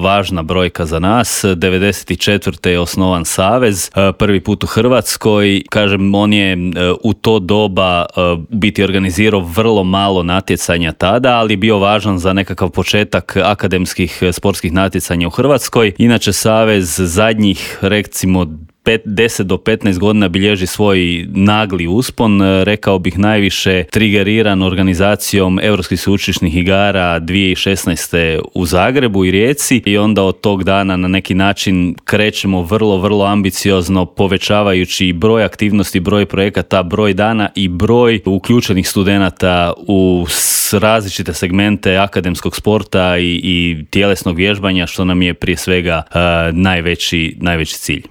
važna brojka za nas. 94. je osnovan savez, prvi put u Hrvatskoj. Kažem, on je u to doba biti organizirao vrlo malo natjecanja tada, ali bio važan za nekakav početak akademskih sportskih natjecanja u Hrvatskoj. Inače, savez zadnjih, recimo, 10 do 15 godina bilježi svoj nagli uspon, rekao bih najviše trigeriran organizacijom Europskih sveučilišnih igara 2016. u Zagrebu i Rijeci, i onda od tog dana na neki način krećemo vrlo ambiciozno, povećavajući broj aktivnosti, broj projekata, broj dana i broj uključenih studenata u različite segmente akademskog sporta i tjelesnog vježbanja, što nam je prije svega najveći cilj.